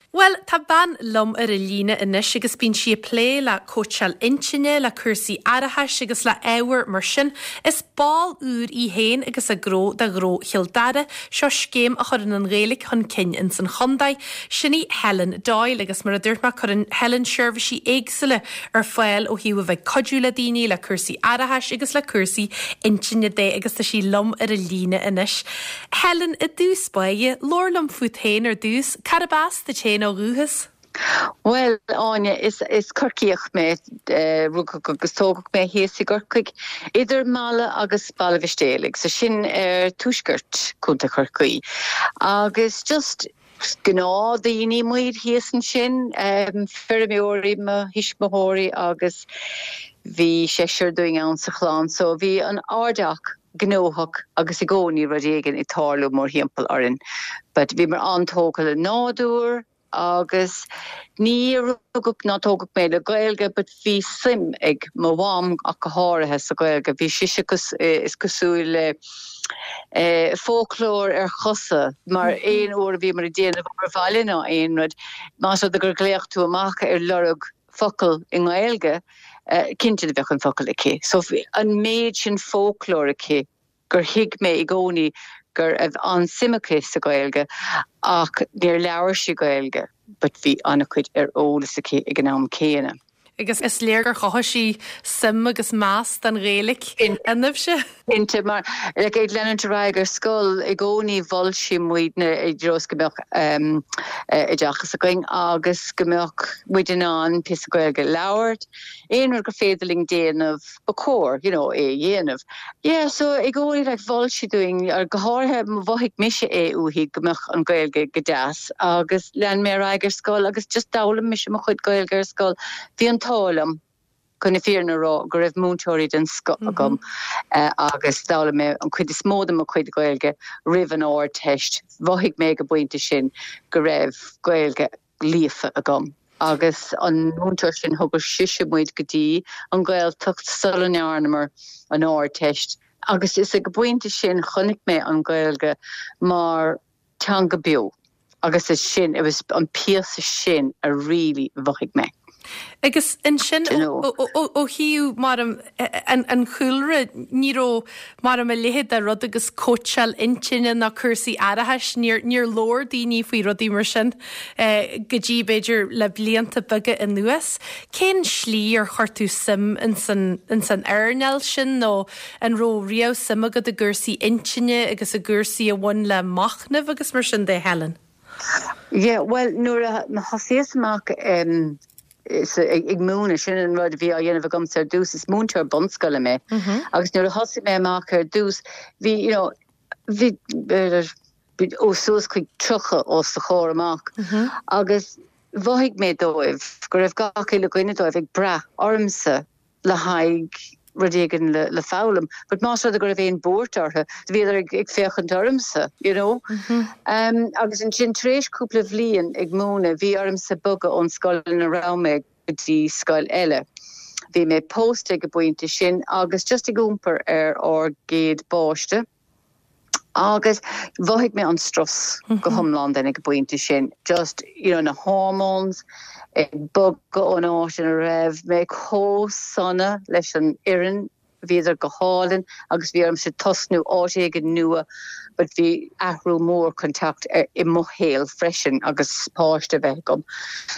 Bhuel, tá bean liom ar an líne anois agus bíonn sí ag plé le cóitseáil intinne, le cúrsaí aireachais agus le ábhair mar sin. Is ball úr í féin agus a gnó de Ghnó Chill Dara. Seo scéim a chuireann an Ghaeilge chun cinn ins an chontae. Sin í Helen Doyle agus mar a dúirt mé cuireann Helen seirbhísí éagsúla ar fáil ó thaobh a bheith ag cuidiú le daoine le cúrsaí aireachais agus le cúrsaí intinne de agus tá sí liom ar an líne anois. Helen, i dtús báire, labhair liom fút féin ar dtús, cárb as duit féin ó dhúchas? Bhuel, Áine, is is Corcaíoch mé, rugadh agus tógadh mé thíos i gCorcaigh, idir Mala agus Baile Mhistéalaigh, so sin ar tuaisceart Contae Chorcaí. Agus just gnáthdhaoine muid thíos ansin, feirmeoirí mo thuismitheoirí agus bhí seisear dúinn ann sa chlann, so bhí an airdeach gnóthach agus i gcónaí rud éigin ag tarlú mórthimpeall orainn. But bhíomar an-tógtha le nádúr agus ní rugadh ná tógadh mé le Gaeilge but bhí suim ag mo mham ach go háirithe sa Ghaeilge. Bhí sise is cosúil le foclóir ar chosa mar aon uair a bhíomar ag déanamh obair bhaile nó aon rud, más rud é gur ghlaoch tú amach ar lorg focal i nGaeilge, cinnte do bheadh an focal aici. So bhí an méid sin foclóir aici gur thuig mé i gcónaí go raibh an-suim aici sa Ghaeilge ach níor labhair sí Gaeilge but bhí an-chuid ar eolas aici ag an am céanna. Agus is léir gur chothaigh sí suim agus meas don Ghaeilge ionaibhse. Cinnte, mar like ag leanúint ar aghaidh ar scoil i gcónaí mhol sí muidne i dtreo is go mbeadh oideachas againn agus go mbeadh muid in ann píosa Gaeilge a labhairt, aon rud gur féidir linn déanamh ba chóir you know é a dhéanamh. Yeah so i gcónaí like mhol sí dúinn, go háirithe mhothaigh mise é uaithi go mbeadh an Ghaeilge go deas agus lean mé ar aghaidh ar scoil agus just d'fhoghlaim mise mo chuid Gaeilge ar scoil. Bhí an t-ádh liom chun na fírinne a rá go raibh múinteoirí den scoth agam agus d'fhoghlaim mé an chuid is mó de mo chuid Gaeilge roimh an Ardteist. Mhothaigh mé ag an bpointe sin go raibh Gaeilge líofa agam agus an múinteoir sin thugadh sise muid go dtí an Ghaeltacht sula ndearnamar an Ardteist agus is ag an bpointe sin chonaic mé an Ghaeilge mar teanga beo agus is sin, it was an píosa sin a really mhothaigh mé. Agus ansin ó thaobh mar an chúlra, ní raibh mar a leithéid de rud agus cóitseáil intinne ná cúrsaí aireachais, níor labhair daoine faoi rudaí mar sin go dtí b'fhéidir le blianta beaga anuas. Cén slí ar chuir tú suim ins an earnáil sin nó an raibh riamh suim agat i gcúrsaí intinne agus i gcúrsaí a bhain le machnamh agus mar sin de, Helen? Yeah, bhuel, nuair a thosaíos amach ag múineadh, sin an rud a bhí á dhéanamh agamsa ar dtús, is múinteoir bunscoile mé, agus nuair a thosaigh mé amach ar dtús, bhí, you know, bhí, bhí ó suas chuig 30 os do chomhair amach agus mhothaigh mé dóibh go raibh gach uile dhuine dóibh ag brath ormsa le haghaidh rud éigin le foghlaim. But más rud é go raibh aon buairt orthu, bhíodar ag féachaint ormsa, you know. Agus ansin tar éis cúpla bhliain ag múineadh, bhí ormsa bogadh ón scoil ina raibh mé go dtí scoil eile. Bhí mé pósta ag an bpointe sin agus just ag iompar ar ár gcéad bpáiste. Agus mhothaigh mé an strus go hiomlán then ag an bpointe sin, just you know na hormones ag bogadh ón áit ina raibh mé chomh sona leis an fhoireann, bhíodar go hálainn agus bhí ormsa tosnú áit éigin nua but bhí athrú mór chun teacht i mo shaol freisin agus páiste a bheith agam.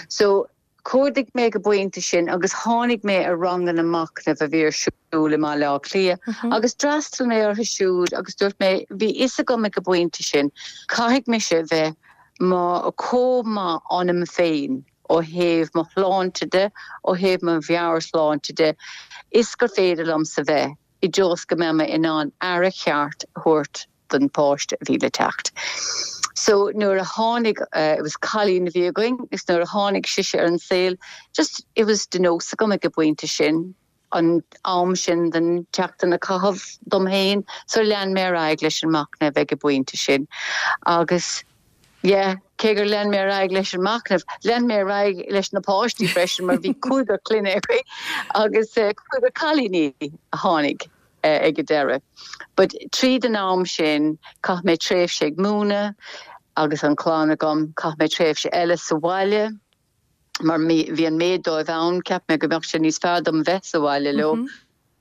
So Chuardaigh mé ag an bpointe sin agus tháinig mé ar ranganna machnaimh a bhí ar siúl i mBaile Átha Cliath agus d'fhreastail mé orthu siúd agus dúirt mé, bhí fhios agam ag an bpointe sin, caithfidh mise bheith chomh maith ionam féin ó thaobh mo shláinte de, ó thaobh mo mheabhairshláinte de, is gur féidir liomsa bheith i dtreo is go mbeidh mé in ann aire cheart a thabhairt don pháiste a bhí le teacht. So nuair a tháinig, it was cailín a bhí againn, is nuair a tháinig sise ar an saol, just it was de nós agam ag an bpointe sin, an am sin den tseachtain a chaitheamh dom féin, so lean mé ar aghaidh leis an machnamh ag an bpointe sin. Agus yeah, cé gur lean mé ar aghaidh leis an machnamh, lean mé ar aghaidh leis na páistí freisin mar bhí cúigear clainne againn agus cúigear cailíní a tháinig. ag an deireadh. But tríd an am sin, chaith mé tréimhse ag múineadh. Agus an clann agam, chaith mé tréimhse eile sa bhaile mar bhí an méid dóibh ann, cheap mé go mbeadh sé níos fearr dom bheith sa bhaile leo.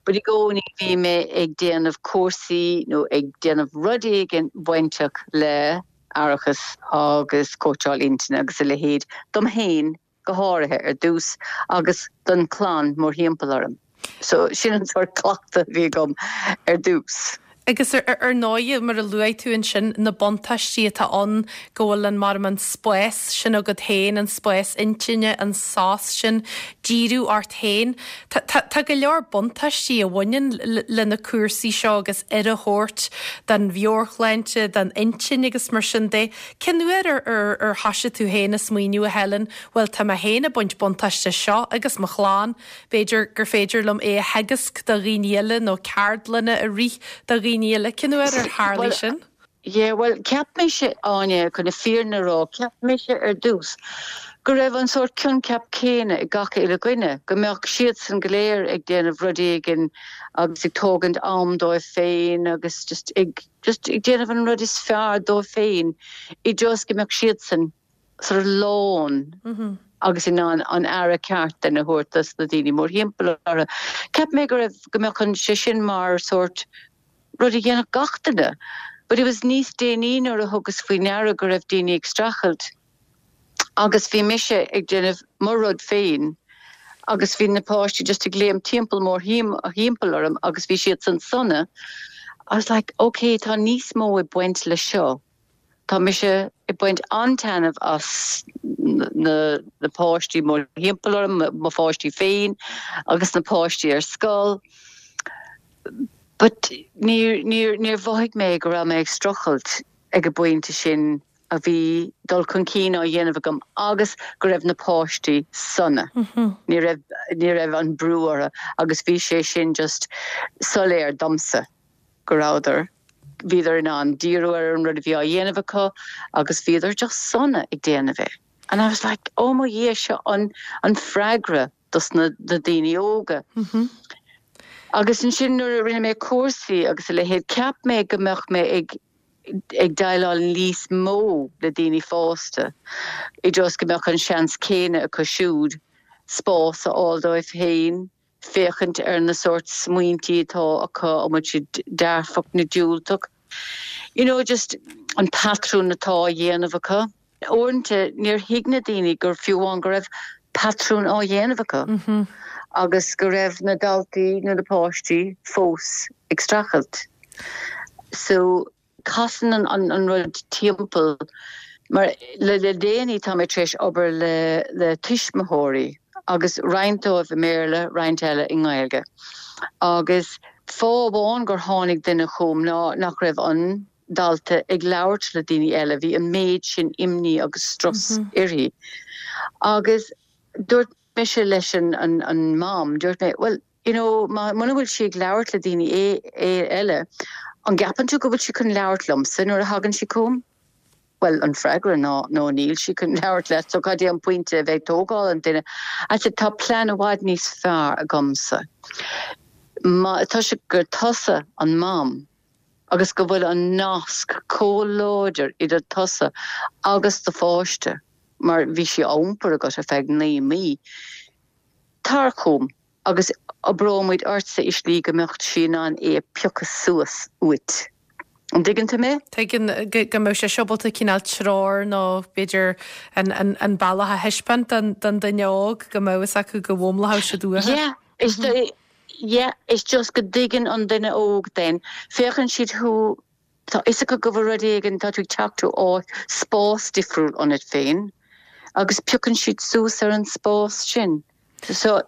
But i gcónaí bhí mé ag déanamh cúrsaí nó ag déanamh rud éigin bainteach le aireachas agus cóitseáil intinne agus a leithéid dom féin go háirithe ar dtús agus don chlann mórthimpeall orm. So sin an sórt cleachtadh a bhí agam ar dtús. Agus ar ndóigh, mar a luaigh tú ansin, na buntáistí atá ann go bhfuil an, mar an spás sin agat féin, an spás intinne, an sos sin, díriú ort féin. Tá, tá, tá go leor buntáistí a bhaineann le na cúrsaí seo agus aire a thabhairt don mheabhairshláinte, don intinn agus mar sin de. Cén uair ar, ar, ar thoisigh tú féin a smaoineamh, a Helen, bhuel tá mé féin ag baint buntáiste as seo agus mo chlann, b'fhéidir gur féidir liom é a theagasc do dhaoine eile nó ceardlanna a rith do dhaoine eile. Cén uair ar tharlaigh sin? Yeah, bhuel, cheap mise, Áine, chun na fírinne a rá, cheap mise ar dtús go raibh an sórt coincheap céanna ag gach uile dhuine, go mbeadh siadsan go léir ag déanamh rud éigin agus ag tógaint am dóibh féin agus just ag, just ag déanamh an rud is fearr dóibh féin i dtreo is go mbeadh siadsan sort of lán agus in ann an aire ceart then a thabhairt dos na daoine mórthimpeall orthu. Cheap mé go raibh, go mbeadh an, sé sin mar sórt rud a dhéanfadh gach duine. But it was níos déanaí nuair a thugas faoi ndeara go raibh daoine ag streachailt agus bhí mise ag déanamh mo rud féin agus bhí na páistí just ag léim timpeall mórthimpeall orm agus bhí siadsan sona. I was like, ok, tá níos mó ag baint le seo. Tá mise ag baint an-taitneamh as na páistí mórthimpeall orm, mo pháistí féin agus na páistí ar scoil. But níor, níor, níor mhothaigh mé go raibh mé ag streachailt ag an bpointe sin a bhí dul chun cinn á dhéanamh agam agus go raibh na páistí sona. Ní raibh, ní raibh an brú orthu agus bhí sé sin just soiléir domsa. go rabhadar, bhíodar in ann díriú ar an rud a bhí á dhéanamh acu agus bhíodar just sona ag déanamh é. And I was like, oh mo Dhia, seo an, an freagra dos na, na daoine óga. Agus ansin nuair a rinne mé cúrsaí agus a leithéid, cheap mé go mbeadh mé ag, ag déileáil níos mó le daoine fásta i dtreo is go mbeadh an seans céanna acu siúd spás a fháil dóibh féin, féachaint ar na sórt smaointí atá acu, an bhfuil siad dearfach nó diúltach, you know just an patrún atá á dhéanamh acu. Uaireanta níor thuig na daoine gur fiú amháin go raibh patrún á dhéanamh acu agus go raibh na daltaí nó na páistí fós ag streachailt. So. Casann an rud timpeall mar le déanaí tá mé tar éis obair le tuismitheoirí agus roinnt dóibh i mBéarla, roinnt eile i nGaeilge. Agus fáth amháin gur tháinig duine chugam ná nach raibh an dalta ag labhairt le daoine eile, bhí an méid sin imní agus strus uirthi. Agus dúirt mise leis an mam, dúirt mé, bhuel, You know, muna bhfuil sí ag labhairt le daoine eile, an gceapann tú go bhfuil sí chun labhairt liomsa nuair a thagann sí chugam? Bhuel, an freagra ná no, níl sí chun labhairt leat, so cad é an pointe a bheith ag tógáil an duine? I said, tá plean i bhfad níos fearr agamsa. Má, toisc gur tusa an mam agus go bhfuil an nasc chomh láidir idir tusa agus do pháiste, mar bhí sí á iompar agat ar feadh 9 mí, tar chugam. agus oibreoidh muid ortsa i slí go mbeadh sí in ann é a phiocadh suas uait. An dtuigeann tú mé? Tuigeann, go mbeadh sé ábalta cineál treoir nó b'fhéidir an bealach a thaispeáint don duine óg go mbeadh fhios acu go bhfoghlaimeodh siad uathu. Yeah, is yeah, it's just go dtuigeann an duine óg then, féachann siad thú, Tá fhios acu go bhfuil rud éigin, tá tú ag teacht ó áit, spás difriúil ionat féin agus piocann siad suas ar an spás sin. So,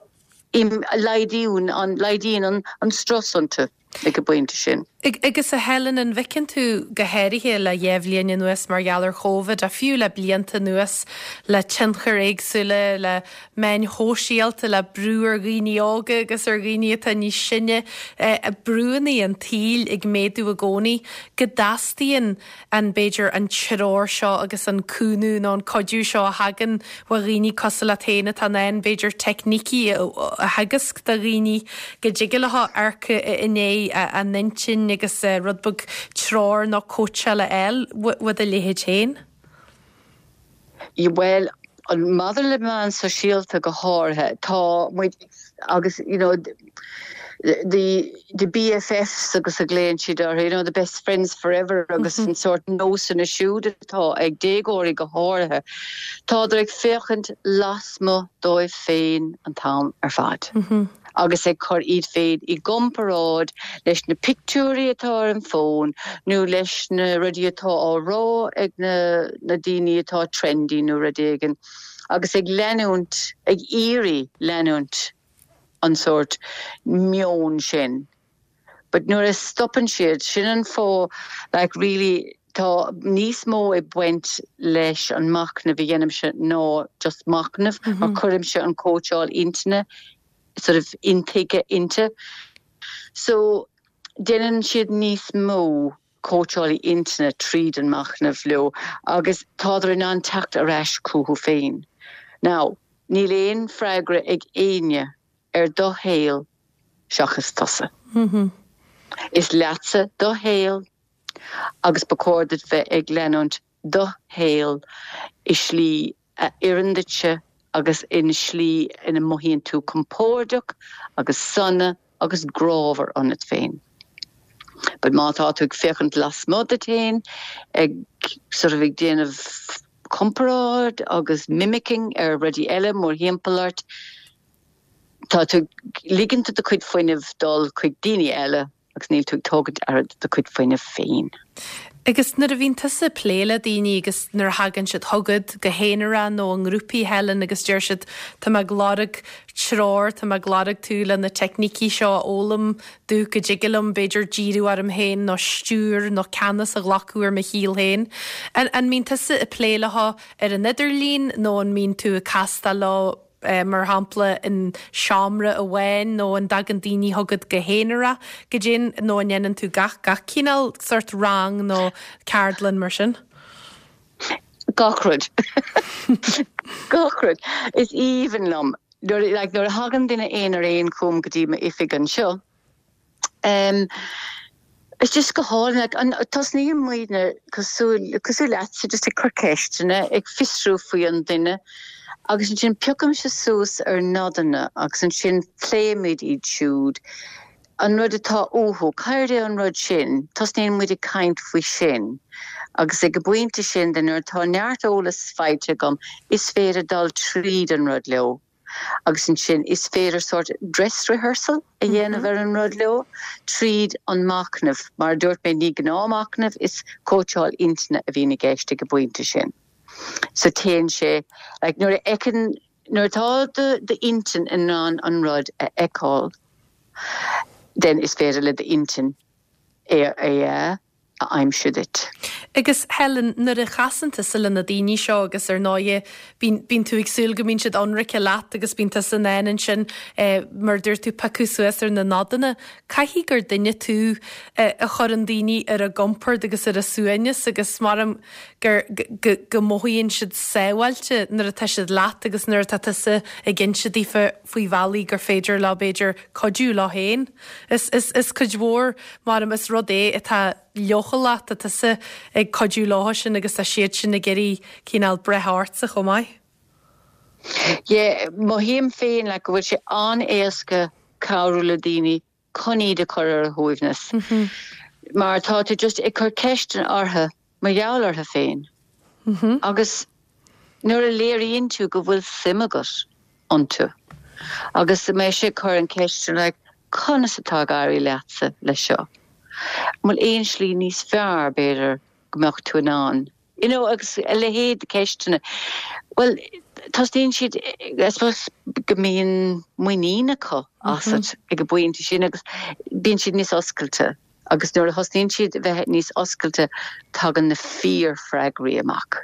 laghdaíonn an, laghdaíonn an strus iontu ag an bpointe sin. Agus a Helen, an bhfeiceann tú, go háirithe le dhá bhliain anuas mar gheall ar Chóvid, ach fiú le blianta anuas, le tionchair éagsúla, le meáin shóisialta, le brú ar dhaoine óga agus ar dhaoine atá níos sine, brúanna an tsaoil ag méadú i gcónaí, go dteastaíonn an, b'fhéidir, an treoir seo agus an cúnamh nó an cuidiú seo a thagann ó dhaoine cosúil leat féin atá in ann, b'fhéidir, teicnící a theagasc do dhaoine go dtig leo amharc i ndiaidh a n-intinn agus rud beag treoir nó cóitseáil a fháil ó do leithéid féin. Bhuel, maidir le meáin sóisialta go háirithe, tá muid agus, you know, the the BFFs agus a ghlaonn siad orthu, you know, the best friends forever agus an sórt nósanna siúd atá ag déagóirí go háirithe, tádar ag féachaint lasmuigh dóibh féin an t-am ar fad. Agus ag cur iad féin i gcomparáid leis na pictiúirí atá ar an bhfón nó leis na rudaí atá á rá ag na na daoine atá trendy nó rud éigin agus ag leanúint, ag iarraidh leanúint an sórt meon sin. But nuair a stopann siad, sin an fáth like really tá níos mó ag baint leis an machnamh a dhéanaimse ná just machnamh mar cuirimse an cóitseáil intinne sort of intuigthe inti. So déanann siad níos mó cóitseálaí intinne tríd an machnamh leo agus tádar in ann teacht ar ais chucu féin. Now, níl aon freagra ag éinne ar do shaol seachas tusa. Is leatsa do shaol agus ba chóir duit bheith ag leanúint do shaol i slí a oireann duitse agus i slí ina mothaíonn tú compordach agus sona agus grámhar ionat féin. But má tá tú ag féachaint lasmuigh duit féin, ag sort of ag déanamh comparáid agus mimicking ar rudaí eile mórthimpeall ort, Tá tú ag ligint do do chuid fuinnimh dul chuig daoine eile agus níl tú ag tógaint aire de do chuid fuinnimh féin. Agus nuair a bhíonn tusa ag plé le daoine agus nuair a thagann siad chugat, go haonarach nó i ngrúpaí, Helen, agus deir siad 'tá mé ag lorg treoir, tá mé ag lorg tú le na teicnící seo a fhoghlaim domh go dtig liom b'fhéidir díriú orm féin nó stiúir nó ceannas a ghlacadh ar mo shaol féin'. An mbíonn tusa ag plé leo ar an idirlíon nó an mbíonn tú ag castáil leo mar shampla, in seomra amháin nó an dtagann daoine chugat go haonarach goidé nó an ndéanann tú gach, gach cineál sórt rang nó ceardlann mar sin? Gach rud. Gach rud. Is aoibhinn liom nuair, like, nuair a thagann duine aon ar aon chugam go dtí m'oifig anseo, Em, it's just go hálainn, like, an, tosnaíonn muidne cosúil, cosúil leatsa, just ag cur ceisteanna, ag fiosrú faoi an duine agus ansin piocaimse suas ar nodanna agus ansin pléimid iad siúd, an rud atá uathu, céard é an rud sin, tosnaíonn muid ag caint faoi sin agus ag an bpointe sin de nuair atá neart eolas faighte agam is féidir dul tríd an rud leo. agus ansin is féidir sórt dress rehearsal a dhéanamh ar an rud leo tríd an machnamh. Mar a dúirt mé, ní gnáthmhachnamh, is cóitseáil intinne a bhíonn i gceist ag an bpointe sin. So téann sé, like nuair a fheiceann, nuair atá d'intinn in ann an rud a fheiceáil, then is féidir le d'intinn é a. a aimsiú duit. Agus Helen, nuair a chasann tusa le na daoine seo agus ar ndóighe bíonn, bíonn tú ag súil go mbíonn siad ionraice leat agus bíonn tusa in ann ansin eh, mar a dúirt tú, piocadh suas ar na nodanna, caithfidh gur duine tú eh, a chuireann daoine ar a gcompord agus ar a suaimhneas agus maram gur, go, go mothaíonn siad sábháilte nuair atá siad leat agus nuair atá tusa ag inse daofa faoi bhealaí gur féidir leo b'fhéidir cuidiú leo féin. Is, is, is cuid mhór, maram, is rud é atá leochaileach, tá tusa ag cuidiú leo sin agus tá siad sin ag iarraidh cineál breith ortsa chomh maith. Yeah, mothaím féin like go bhfuil sé an-éasca cabhrú le daoine chun iad a chur ar a shuaimhneas mar tá tú just ag cur ceisteanna orthu mar gheall orthu féin agus nuair a léiríonn tú go bhfuil suim agat iontu agus mise ag cur an cheist sin like conas atá ag éirí leatsa leis seo? An bhfuil aon slí níos fearr b'fhéidir go mbeadh tú in ann you know agus a leithéid de ceisteanna. Bhuel tosnaíonn siad I suppose go mbíonn muinín acu asat ag an bpointe sin agus bíonn siad níos oscailte. Agus nuair a thosnaíonn siad a bheith níos oscailte, tagann na fíor-fhreagraí amach.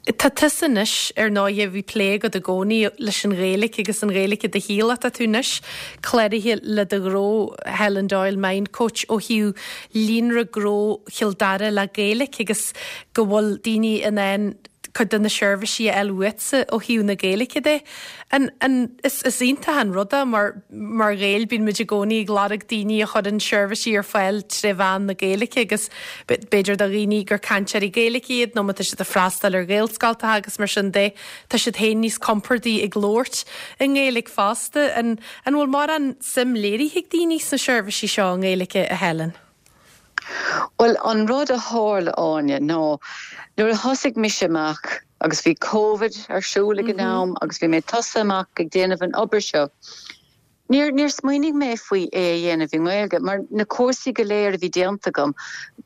Tá tusa anois, ar ndóighe, bhí plé agat i gcónaí leis an Ghaeilge agus an Ghaeilge i do shaol ach tá tú anois cláraithe le do ghnó, Helen Doyle Mind Coach, ó thaobh líonra gnó Chill Dara le Gaeilge agus go bhfuil daoine in ann. cuid de na seirbhísí a fháil uaitse ó thaobh na Gaeilge de. An, an, is, is iontach an rud é mar, mar Ghaeil bíonn muid i gcónaí ag lorg daoine a chuireann seirbhísí ar fáil tré mheán na Gaeilge agus b'fhéidir do dhaoine gur cainteoirí Gaeilge iad nó má tá siad ag freastal ar Ghaelscoltacha agus mar sin de, tá siad féin níos compordaí ag labhairt i nGaeilge fosta. An, an bhfuil mórán suim léirithe ag daoine sna seirbhísí seo i nGaeilge, a Helen? Bhuel, an rud a tharla, Áine, ná nuair a thosaigh mise amach, agus bhí Covid ar siúl ag an am agus bhí mé ag tosú amach ag déanamh an obair seo, níor, níor smaoinigh mé faoi é a dhéanamh i nGaeilge mar na cúrsaí go léir a bhí déanta agam,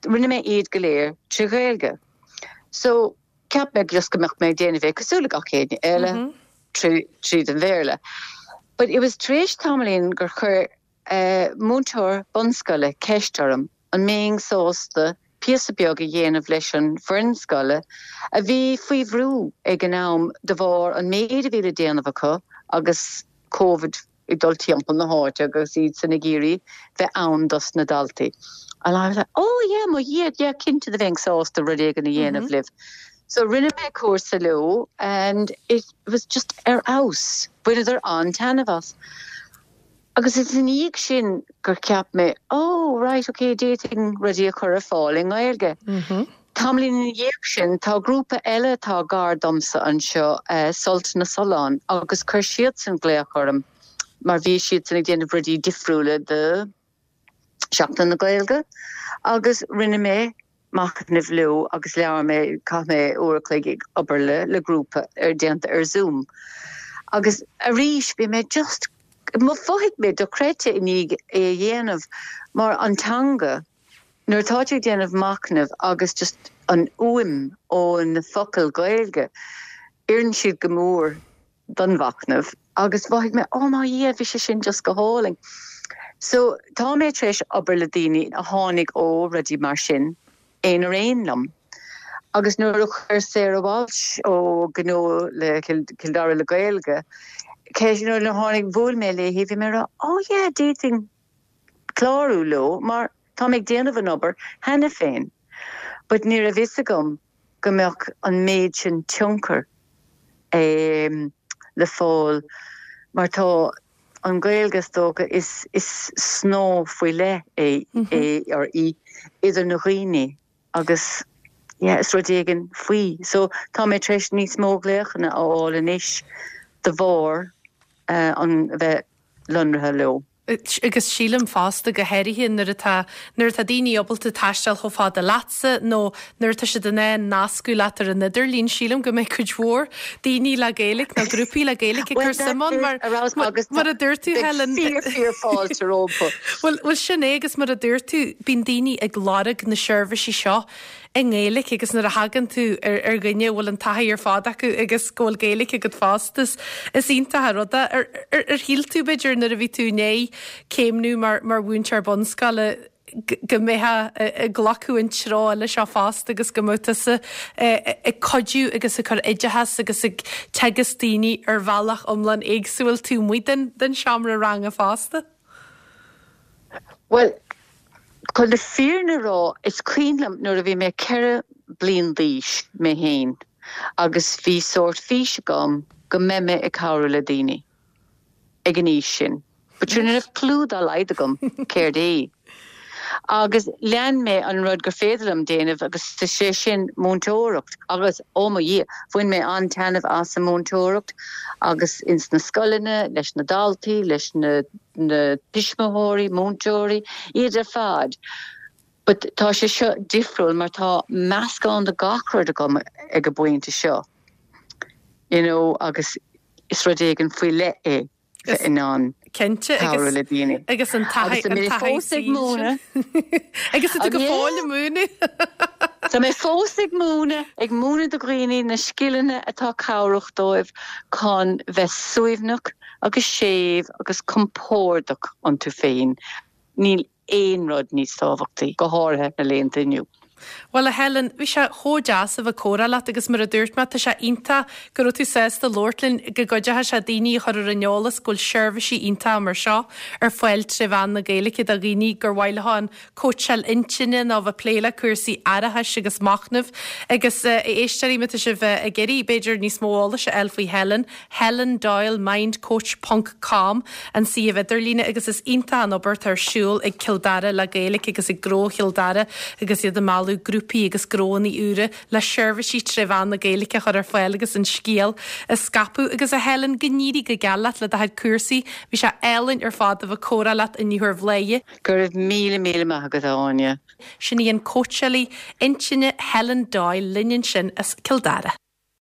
rinne mé iad go léir trí Ghaeilge. So, cheap mé just go mbeadh mé ag déanamh é cosúil le gach éinne eile tríd an Bhéarla. But it was tar éis tamaillín gur chuir múinteoir bunscoile ceist orm an mbeinn sásta píosa beag a dhéanamh leis an bhfoireann scoile a bhí faoi bhrú ag an am de bharr an méid a bhí le déanamh acu agus Covid ag dul timpeall na háite agus iad san ag iarraidh bheith ann dos na daltaí. And I was like, oh yeah, mo Dhia, yeah, cinnte do bheinn sásta rud éigin a dhéanamh libh. So rinne mé cúrsa leo and it was just ar fheabhas. Bhaineadar an-taitneamh as. Agus is ina dhiaidh sin gur cheap mé, oh right, ok, d'fhéadfainn rudaí a chur ar fáil i nGaeilge. Tamaillín ina dhiaidh sin, tá grúpa eile atá gar domsa anseo, Sult na Sollán, agus chuir siadsan glaoch orm mar bhí siadsan ag déanamh rudaí difriúla do Sheachtain na Gaeilge agus rinne mé machnamh leo agus labhair mé, chaith mé uair a chloig ag obair le le grúpa ar déanta ar Zoom. Agus arís bhí mé just, mhothaigh mé dochreidte i ndiaidh é a dhéanamh mar an teanga, nuair atá tú ag déanamh machnaimh agus just an fhuaim ó na focail Ghaeilge, oireann siad go mór. don mhachnamh agus mhothaigh mé, oh mo Dhia, bhí sé sin just go hálainn. So tá mé tar éis obair le daoine a tháinig ó rudaí mar sin, aon ar aon liom. Agus nuair a chuir Sarah Walsh ó Gnó le Cill Dara le Gaeilge ceist, nuair a tháinig, bhuail mé léi, bhí mé ag rá, oh yeah, d'fhéadfainn clárú leo mar tá mé ag déanamh an obair cheana féin. But ní raibh fhios agam go mbeadh an méid sin tionchair le fáil mar tá an Ghaeilge, is dócha, is is snáth faoi leith é é or í idir na dhaoine agus yeah is rud éigin faoi. So tá mé tar éis níos mó glaochanna a fháil anois de bharr an bheith lonraithe leo. Agus sílim fosta, go háirithe nuair atá, nuair atá daoine ábalta taisteal chomh fada leatsa nó nuair atá siad in ann nascadh leat ar an idirlíon, sílim go mbeidh cuid mhór daoine le Gaeilge nó grúpaí le Gaeilge ag cur suim ann mar, mar a dúirt tú, Helen. Fíor, fíor fáilte rompu. Bhuel, bhuel sin é agus mar a dúirt tú, bíonn daoine ag lorg na seirbhísí seo i nGaeilge agus nuair a thagann tú ar ar dhuine a bhfuil an taithí ar fad acu agus go bhfuil Gaeilge agat fosta, is is iontach an rud é. Ar ar ar shíl tú, b'fhéidir, nuair a bhí tú i ndiaidh céimniú mar mar mhúinteoir bunscoile go mbeifeá ag glacadh an treo eile seo fosta agus go mbeadh tusa ag cuidiú agus ag cur oideachas agus ag teagasc daoine ar bhealach iomlán éagsúil taobh amuigh den den seomra ranga fosta? Bhuel, chun na fírinne a rá, is cuimhin liom nuair a bhí mé 4 bliain d'aois mé féin agus bhí sórt fís agam go mbeidh mé ag cabhrú le daoine ag an aois sin. But sure, ní raibh clue dá laghad agam céard é. Agus lean mé an rud gur féidir liom déanamh agus is é sin múinteoireacht agus, ó mo Dhia, bhain mé an-taitneamh as an múinteoireacht agus ins na scoileanna, leis na daltaí, leis na. na tuismitheoirí, múinteoirí, iad ar fad. But tá sé seo difriúil mar tá meascán de gach rud agam ag an bpointe seo, you know, agus is rud éigin faoi leith é bheith in ann cabhrú le daoine. Agus an taithí Agus tá mé fós ag múineadh. Agus tá tú go fóill ag múineadh. Tá mé fós ag múineadh, ag múineadh do dhaoine na scileanna atá cabhrach dóibh chun bheith suaimhneach, agus séimh agus compordach iontu féin, níl aon rud níos tábhachtaí, go háirithe na laethanta inniu. Bhuel, a Helen, bhí sé chomh deas a bheith ag comhrá leat agus mar a dúirt mé, tá sé iontach go raibh tú sásta labhairt linn, go gcuideoidh sé daoine a chur ar an eolas go bhfuil seirbhísí iontacha mar seo ar fáil tré mheán na Gaeilge do dhaoine gur mhaith leo an cóitseáil intinne nó a bheith ag plé le cúrsaí aireachais agus machnaimh. Agus a éisteoirí, má tá sibh ag iarraidh, b'fhéidir, níos mó eolais a fháil faoi Helen, helendoylemindcoach ponc com an suíomh idirlíne agus is iontach an obair atá ar siúl ag Cill Dara le Gaeilge agus ag Gnó Chill Dara agus iad ag mealladh grúpaí agus gnóanna úra le seirbhísí tré mheán na Gaeilge a chur ar fáil agus an scéal a scaipeadh. Agus a Helen, go n-éirí go geal leat le do chuid cúrsaí. Bhí sé álainn ar fad a bheith ag comhrá leat inniu ar Bhláth. Go raibh míle míle maith agat, a Áine. Sin í an cóitseálaí intinne Helen Doyle linn ansin as Cill Dara.